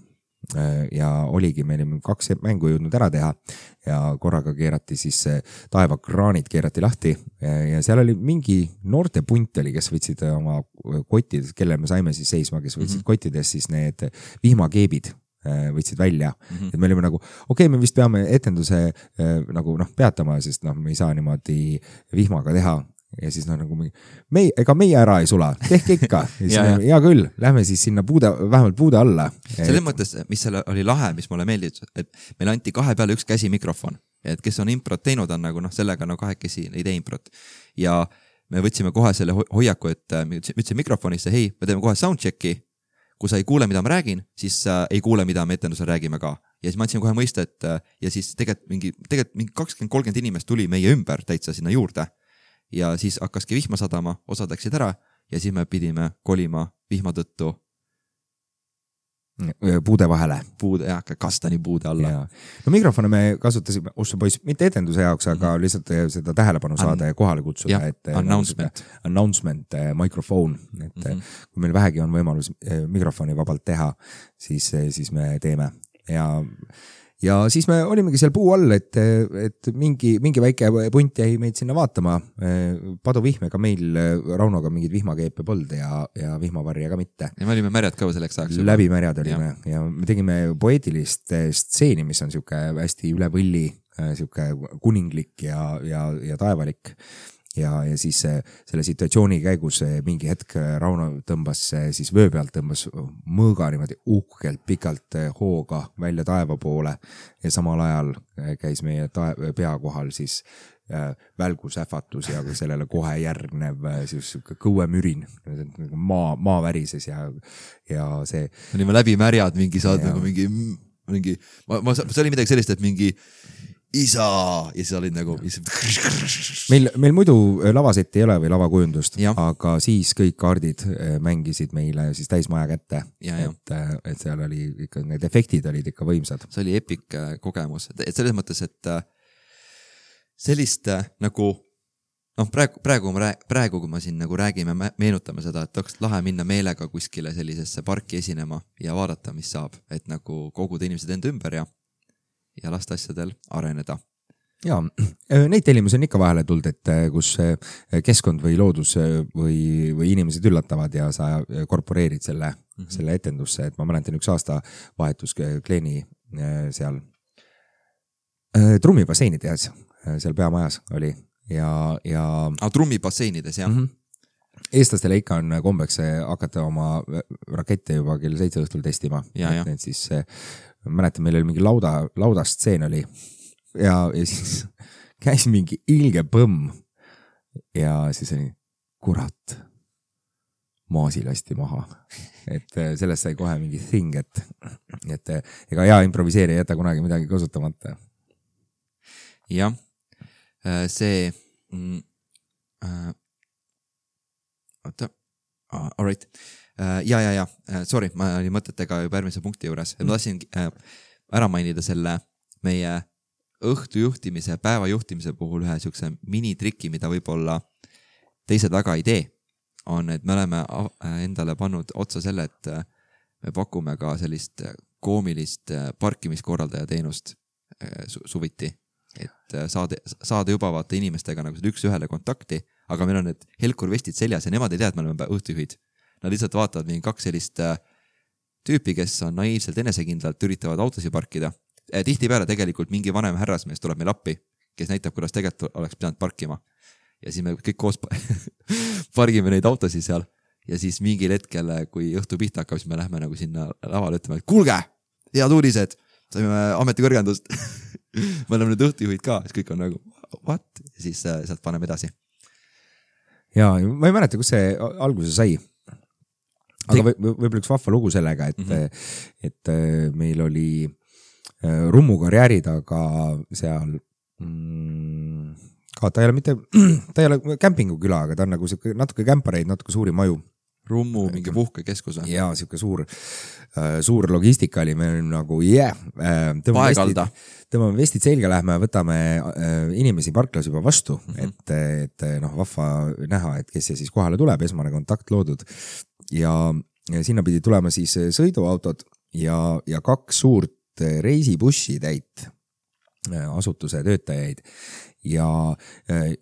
Ja oligi, meil 2 mängu jõudnud ära teha ja korraga keerati siis taevakraanid keerati lahti ja seal oli mingi noorte punt oli, kes võtsid oma kottidest, kelle me saime siis seisma, kes võtsid kottidest siis need vihmakeebid võtsid välja, et me olime nagu me vist peame etenduse nagu peatama, sest me ei saa niimoodi vihmaga teha. Ja siis nagu ega meie ära ei sula, tehke ikka. Ja küll, lähme siis sinna vähemalt puude alla. Selles mõttes, mis seal oli lahe, mis mulle meeldis, et meil anti 2 peale 1 käsi mikrofon. Et kes on improt teinud, on nagu sellega 2 käsi ei tee improt. Ja me võtsime kohe selle hoiaku, et me ütlesin mikrofonisse, hei, me teeme kohe soundchecki. Kui sa ei kuule, mida ma räägin, siis ei kuule, mida me etendusel räägime ka. Ja siis ma andsin kohe mõista, et ja siis tegelikult mingi 20-30 inimest tuli meie ümber täitsa sinna juurde. Ja siis hakkaski vihma sadama, osad läksid ära ja siis me pidime kolima vihma tõttu puude vahele. kastanipuude alla. No mikrofone me kasutasime, poiss, mitte etenduse jaoks, aga lihtsalt seda tähelepanu saada ja kohale kutsuda. Announcement, mikrofon, et kui meil vähegi on võimalus mikrofoni vabalt teha, siis me teeme. Ja siis me olimegi seal puu all, et mingi väike punt jäi meid sinna vaatama. Paduvihmega meil Raunoga mingid vihmakeepe polnud ja vihmavarja ka mitte. Ja me olime märjad ka selleks ajaks. Läbi märjad olime ja me tegime poeetilist stseeni, mis on siuke hästi üle võlli, siuke kuninglik ja taevalik. Ja siis selle situatsiooni käigus mingi hetk Rauno tõmbas siis vöö pealt, tõmbas mõõga niimoodi uhkelt pikalt hooga välja taeva poole ja samal ajal käis meie pea kohal siis välgusähvatus ja sellele kohe järgnev siis kõuemürin, maa värises ja see. Me olime läbi märjad mingi saad nagu mingi see oli midagi sellist, et mingi isa ja siis olid nagu meil muidu lavasetti ei ole või lavakujundust, aga siis kõik kaardid mängisid meile siis täismaja kätte, et seal oli ikka, need efektid olid ikka võimsad. See oli epic kogemus, et selles mõttes, et sellist nagu praegu kui ma siin nagu räägime, meenutame seda, et oleks lahe minna meelega kuskile sellisesse parki esinema ja vaadata, mis saab, et nagu koguda inimesed enda ümber ja lasta asjadel areneda. Ja, neid tellimusi on ikka vahele tulnud, et kus keskkond või loodus või inimesed üllatavad ja sa korporeerid selle etendusse, et ma mäletan üks aasta vahetus Kleeni seal trummibasseini teas, seal peamajas oli ja trummibasseinides, jah. Eestlastele ikka on kombeks hakata oma rakette juba kell 7 õhtul testima. Et siis mäletan, meil oli mingi laudastseen oli ja siis käis mingi ilge põmm ja siis oli kurat, maasi lasti maha. Et sellest sai kohe mingi thing, et ega hea improviseerija ei jäta kunagi midagi kasutamata. Jah, see all right. Sorry, ma olin mõtetega juba järgmise punkti juures. Ma tahtsin ära mainida selle meie õhtujuhtimise, päevajuhtimise puhul ühe siukse minitriki, mida võib-olla teised väga ei tee, on, et me oleme endale pannud otsa selle, et me pakume ka sellist koomilist parkimiskorraldaja teenust suviti, et saada juba vaata inimestega nagu üks-ühele kontakti, aga meil on need helkurvestid seljas ja nemad ei tea, et me oleme õhtujuhid. Nad lihtsalt vaatavad mingi 2 sellist tüüpi, kes on naiivselt enesekindlalt üritavad autosi parkida. Tihtipeale tegelikult mingi vanem härrasmees tuleb meil appi, kes näitab, kuidas tegelikult oleks pidanud parkima. Ja siis me kõik koos pargime neid autosi seal. Ja siis mingil hetkel, kui õhtu pihta hakkab, siis me lähme nagu sinna lavale ütlema, et kuulge, head uudised, saime ametikõrgendust. Me oleme nüüd õhtujuhid ka, siis kõik on nagu, what? Ja siis sealt paneme edasi. Ja ma ei mäleta, kus see alguse sai. Aga võib-olla üks vahva lugu sellega, et meil oli Rummu karjääri taga seal ka, ta ei ole kämpinguküla, aga ta on nagu natuke kämpareid, natuke suuri maju. Rummu mingi puhkekeskus. Ja siuke suur logistika oli meil nagu tõmbame vestid selga, lähme, võtame inimesi parklas juba vastu, et vahva näha, et kes see siis kohale tuleb, esmane kontakt loodud. Ja sinna pidi tulema siis sõiduautod ja 2 suurt reisibussi täit asutuse töötajaid. Ja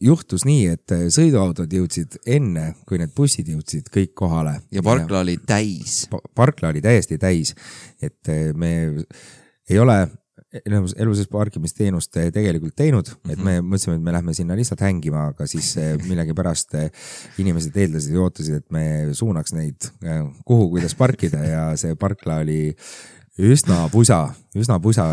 juhtus nii, et sõiduautod jõudsid enne, kui need bussid jõudsid kõik kohale. Ja parkla oli täis. Parkla oli täiesti täis, et me ei ole eluses parkimisteenust tegelikult teinud, et me mõtlesime, et me lähme sinna lihtsalt hängima, aga siis millegi pärast inimesed eeldasid ja ootasid, et me suunaks neid kuhu, kuidas parkida ja see parkla oli üsna pusa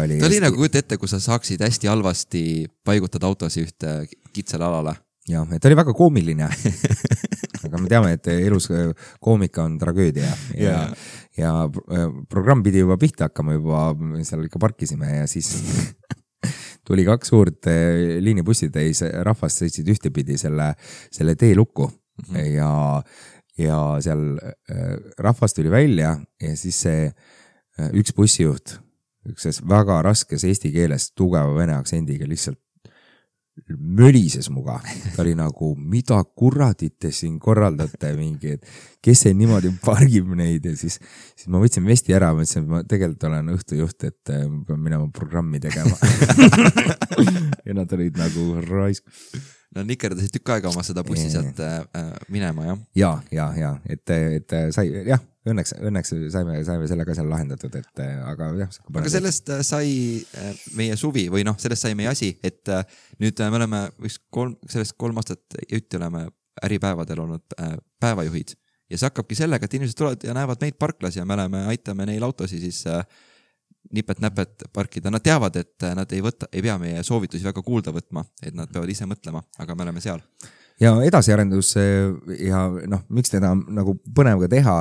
oli. Ta oli nagu kujuta ette, kui sa saaksid hästi halvasti paigutada autosi ühte kitsale alale. Jah, et ta oli väga koomiline. Aga me teame, et elus koomika on tragöödia ja programm pidi juba pihta hakkama juba, seal ikka parkisime ja siis tuli 2 suurt liinibussid rahvast sõitsid ühtepidi selle teelukku ja seal rahvast tuli välja ja siis see üks bussijuht, üks väga raskes eesti keeles tugeva vene aktsendiga lihtsalt mölises muga. Ta oli nagu, mida kuradit te siin korraldate mingi, et kes see niimoodi pargib neid ja siis ma võtsin vesti ära, mõtlesin, et ma tegelikult olen õhtujuht, et ma pean minema programmi tegema. Ja nad olid nagu raisk. No nikerdasid tükk aega oma seda bussi sealt minema, jah? Ja, et sai, jah, õnneks saime selle ka seal lahendatud, et aga jah. Aga sellest sai meie suvi või sellest sai meie asi, et nüüd me oleme sellest 3 aastat jutti oleme äripäevadel olnud päevajuhid ja see hakkabki sellega, et inimesed tulevad ja näevad meid parklas ja me aitame neil autosi siis nipet-näpet parkida. Nad teavad, et nad ei pea meie soovitusi väga kuulda võtma, et nad peavad ise mõtlema, aga me oleme seal. Ja edasiarendus ja miks teda nagu põnev ka teha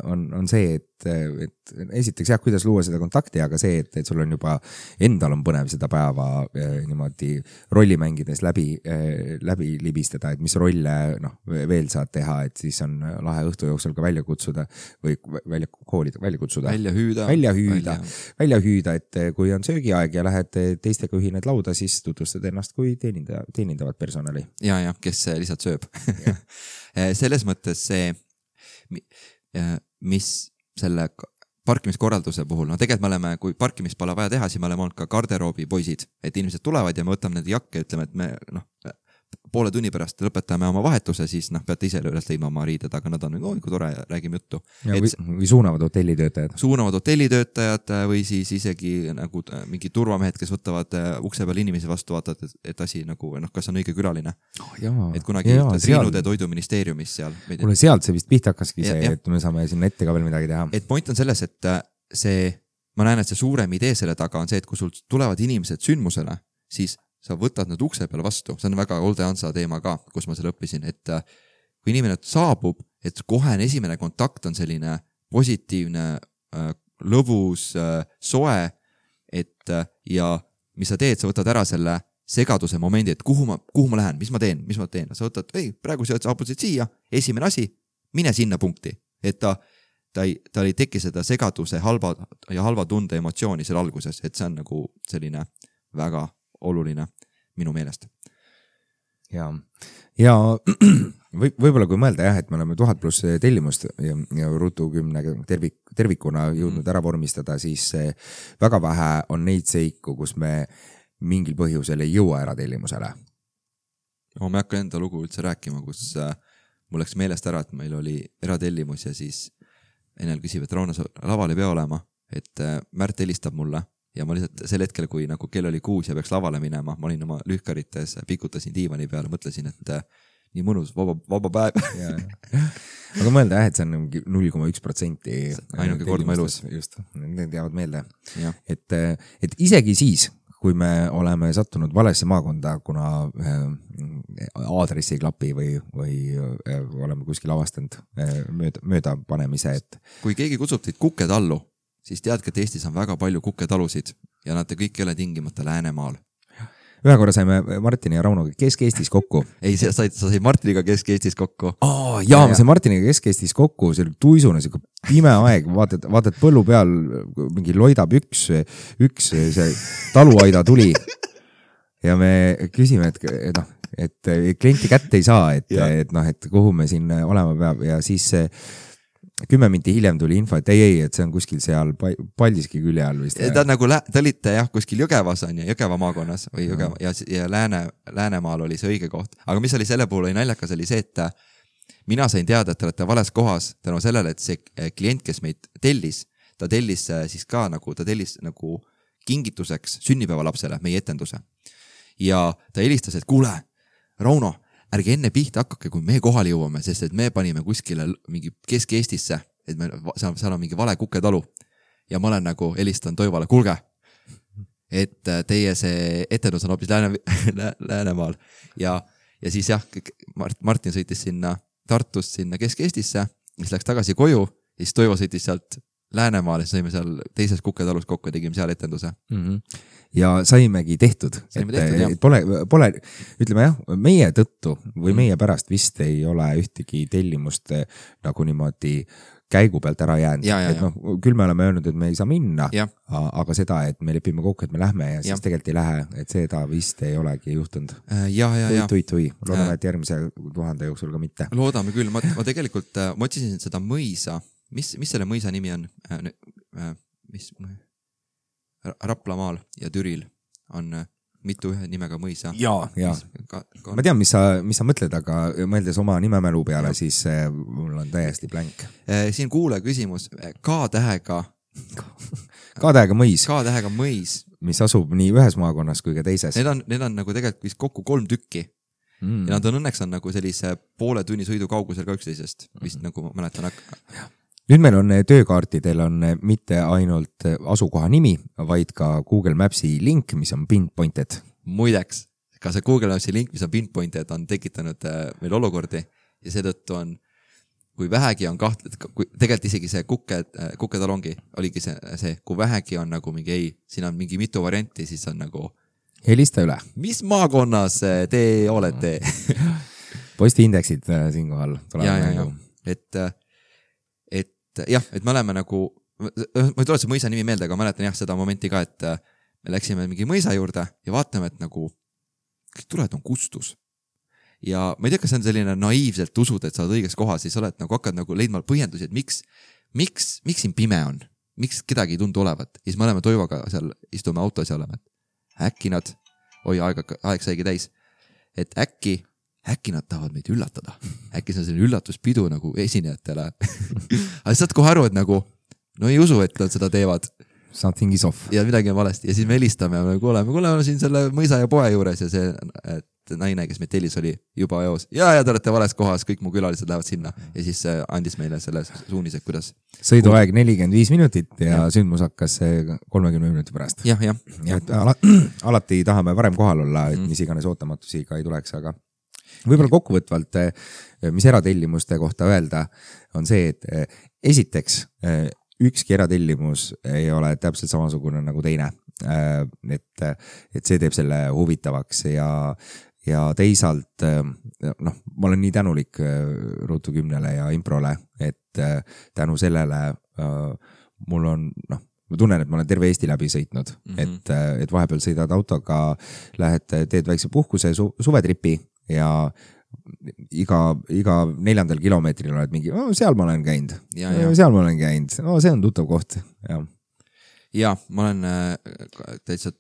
on see, et esiteks jah, kuidas luua seda kontakti, aga see, et sul on juba endal on põnev seda päeva niimoodi rolli mängides läbi libistada, et mis rolle veel saad teha, et siis on lahe õhtu jooksul ka välja kutsuda või välja kutsuda. Välja hüüda, et kui on söögiaeg ja lähed teistega ühined lauda, siis tutvustad ennast kui teenindavat personali. Ja, kes lihtsalt sööb. Selles mõttes see, mis selle parkimiskorralduse puhul, tegelikult me oleme, kui parkimist pole vaja teha, siis me oleme olnud ka garderoobi poisid, et inimesed tulevad ja me võtame need jakke ja ütleme, et me poole tunni pärast lõpetame oma vahetuse, siis peate ise üles leidma oma riided, aga nad on kui tore, räägime juttu. Või suunavad hotellitöötajad või siis isegi nagu mingi turvamehed, kes võtavad ukse peal inimesi vastu, vaatavad, et asi nagu, kas on õige külaline. Et kunagi Triinude toiduministeeriumis seal. Kuule, sealt see vist pihta hakkaski see, et me saame sinna ette ka veel midagi teha. Et point on selles, et ma näen, et see suurem idee selle taga on see, et kui sul tulevad inimesed sündmusele, siis sa võtad nad ukse peale vastu. See on väga Olde Hansa teema ka, kus ma selle õppisin, et kui inimene saabub, et kohe esimene kontakt on selline positiivne, lõbus, soe, ja mis sa teed, sa võtad ära selle segaduse momendi, et kuhu ma lähen, mis ma teen. Sa võtad, praegu sa saabusid siia, esimene asi, mine sinna punkti, et ta ei teki seda segaduse halva tunde emotsiooni seal alguses, et see on nagu selline väga oluline minu meelest. Ja võib-olla kui mõelda jah, et me oleme 1000+ tellimust ja Ruutu 10 tervikuna jõudnud ära vormistada, siis väga vähe on neid seiku, kus me mingil põhjusel ei jõua ära tellimusele. Ma ei hakka enda lugu üldse rääkima, kus mul läks meelest ära, et meil oli eratellimus ja siis Enel küsib, et Rauno, laval ei pea olema, et Märt helistab mulle. Ja ma lihtsalt sel hetkel, kui nagu kell oli 6 ja peaks lavale minema, ma olin oma lühkarites, pikutasin diivani peale, mõtlesin, et nii mõnus, vaba päev. Aga mõelda et see on 0,1%. Ainuke kord ma elus. Just, need jäävad meelde. Et isegi siis, kui me oleme sattunud valesse maakonda, kuna aadressi klapi või oleme kuskil avastanud mööda panemise, et kui keegi kutsub teid Kuketallu, siis teadke, et Eestis on väga palju kuketalusid ja nad kõik ei ole tingimata Läänemaal. Ühe korra saime Martini ja Raunoga Kesk-Eestis kokku. Ei, sa said Martiniga Kesk-Eestis kokku. Ma sain Martiniga Kesk-Eestis kokku, see oli tuisune, see pime aeg, vaatad põllu peal, mingi loidab üks see taluaida tuli ja me küsime, et klienti kätte ei saa, et kuhu me siin olema peab ja siis 10 minti hiljem tuli info, et et see on kuskil seal Paldiski külje all vist. Ta nagu, te olite jah kuskil Jõgevas on ja Jõgeva maakonnas või Jõgeva, ja Läänemaal oli see õige koht. Aga mis oli selle puhul naljakas oli see, et mina sain teada, et te olete vales kohas tänu sellele, et see klient, kes meid tellis, ta tellis siis ka ta tellis nagu kingituseks sünnipäevalapsele meie etenduse. Ja ta helistas, et kuule, Rauno, ärge enne pihta hakkake, kui me kohale jõuame, sest et me panime kuskile mingi Kesk-Eestisse, et seal on mingi vale Kuketalu. Ja ma olen nagu helistan Toivale, kuulge, et teie see etendus on hoopis Läänemaal. Ja siis jah, Martin sõitis sinna Tartust sinna Kesk-Eestisse, mis läks tagasi koju, ja siis Toivo sõitis sealt Läänemaal, sõime seal teises Kuketalus kokku ja tegime seal etenduse. Ja saimegi tehtud, et pole, ütleme jah, meie tõttu või meie pärast vist ei ole ühtegi tellimust nagu niimoodi käigu pealt ära jäänud, et noh, küll me oleme öelnud, et me ei saa minna, aga seda, et me lepime kokku, et me lähme ja siis tegelikult ei lähe, et seda vist ei olegi juhtunud. Tui, loodame, et järgmise 1000 jooksul ka mitte. Loodame küll, ma tegelikult, ma otsisin seda mõisa, mis selle mõisa nimi on? Raplamaal ja Türil on mitu ühe nimega mõisa. Ja. Ma tean, mis sa mõtled, aga mõeldes oma nimemälu peale, siis mul on täiesti blank. Siin kuule küsimus. K-tähega mõis. K-tähega mõis. Mis asub nii ühes maakonnas kui ka teises. Need on nagu tegelikult vist kokku 3 tükki. Ja nad on õnneks nagu sellise poole tunni sõidu kaugusel ka üksteisest. Vist nagu ma mäletan. Nüüd meil on töökaartidel on mitte ainult asukoha nimi, vaid ka Google Mapsi link, mis on pinpointed. Muideks, ka see Google Mapsi link, mis on pinpointed, on tekitanud meil olukordi ja seetõttu on, kui vähegi on tegelikult isegi see kuketalongi oligi see, kui vähegi on nagu mingi siin on mingi mitu varianti, siis on nagu helista üle. Mis maakonnas te olete? Postiindeksid siinkohal. Et me oleme nagu, ma ei tule see mõisa nimi meelde, aga mäletan seda momenti ka, et me läksime mingi mõisa juurde ja vaatame, et nagu kõik tuled on kustus. Ja ma ei tea, kas see on selline naiivselt usud, et sa oled õiges kohas, siis oled nagu hakkad nagu leidma põhjendusi, et miks siin pime on, miks kedagi ei tundu olevat. Ja siis me oleme Toivoga seal, istume autos ja oleme, et äkki nad, aeg saigi täis, et äkki nad tahavad meid üllatada. Äkki see on selline üllatuspidu nagu esinejatele. Aga saad kohe aru, et nagu, no ei usu, et nad seda teevad. Something is off. Ja midagi on valesti. Ja siis me helistame ja me kuuleme siin selle mõisa ja poe juures ja see naine, kes meid tellis, oli juba eos. Ja te olete vales kohas, kõik mu külalised lähevad sinna. Ja siis andis meile selle suunise, kuidas. Sõiduaeg 45 minutit ja sündmus hakkas 30 minuti pärast. Ja. Alati tahame varem kohal olla, et mis iganes ootamatusi ka ei tuleks, aga võib-olla kokkuvõtvalt, mis eratellimuste kohta öelda, on see, et esiteks ükski eratellimus ei ole täpselt samasugune nagu teine. Et see teeb selle huvitavaks ja teisalt, ma olen nii tänulik Ruutu 10 ja Improle, et tänu sellele mul on, ma tunnen, et ma olen terve Eesti läbi sõitnud, et vahepeal sõidad autoga, teed väikse puhkuse suvetripi ja iga 4. kilomeetril oled mingi, seal ma olen käinud, see on tuttav koht. Ja, ma olen täitsa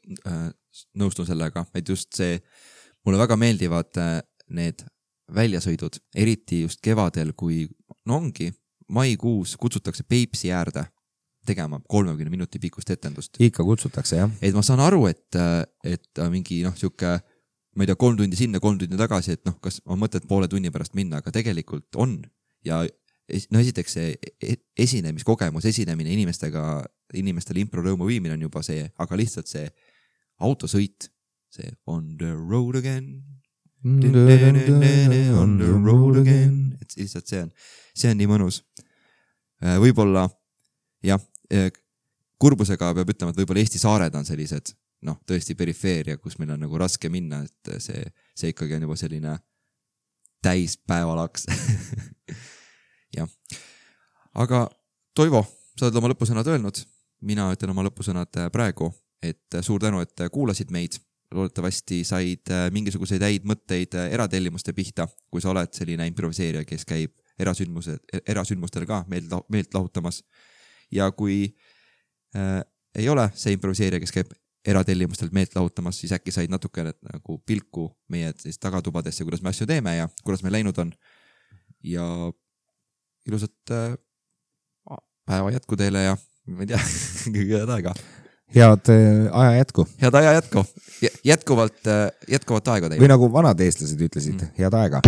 nõustun sellega, et just see, mulle väga meeldivad need väljasõidud, eriti just kevadel, kui ongi maikuus kutsutakse Peipsi äärde tegema 30 minuti pikkust etendust. Ikka kutsutakse, jah. Et ma saan aru, et mingi siuke ma ei tea, 3 tundi sinna, 3 tundi tagasi, et kas on mõtet poole tunni pärast minna, aga tegelikult on. Ja esiteks see esinemiskogemus, esinemine inimestele improrõõmu viimine on juba see, aga lihtsalt see autosõit, see on the road again, on the road again, et lihtsalt see on nii mõnus. Võib-olla, jah, kurbusega peab ütlema, et võib-olla Eesti saared on sellised, tõesti perifeeria, kus meil on nagu raske minna, et see ikkagi on juba selline täispäevalaks. Jah. Aga Toivo, sa oled oma lõpusõnad öelnud, mina ütlen oma lõpusõnad praegu, et suur tänu, et kuulasid meid, loodetavasti said mingisuguseid häid mõtteid eratellimuste pihta, kui sa oled selline improviseerija, kes käib erasündmustel ka meelt lahutamas. Ja kui ei ole see improviseerija, kes käib eratellimustelt meelt lahutamas, siis äkki said natuke nagu pilku meie tagatubadesse, kuidas me asju teeme ja kuidas meil läinud on. Ja ilusat päeva jätku teile ja ma ei tea, kõige head aega. Head aja jätku. Head aja jätku. Jätkuvalt aega teile. Või nagu vanad eestlased ütlesid, head aega.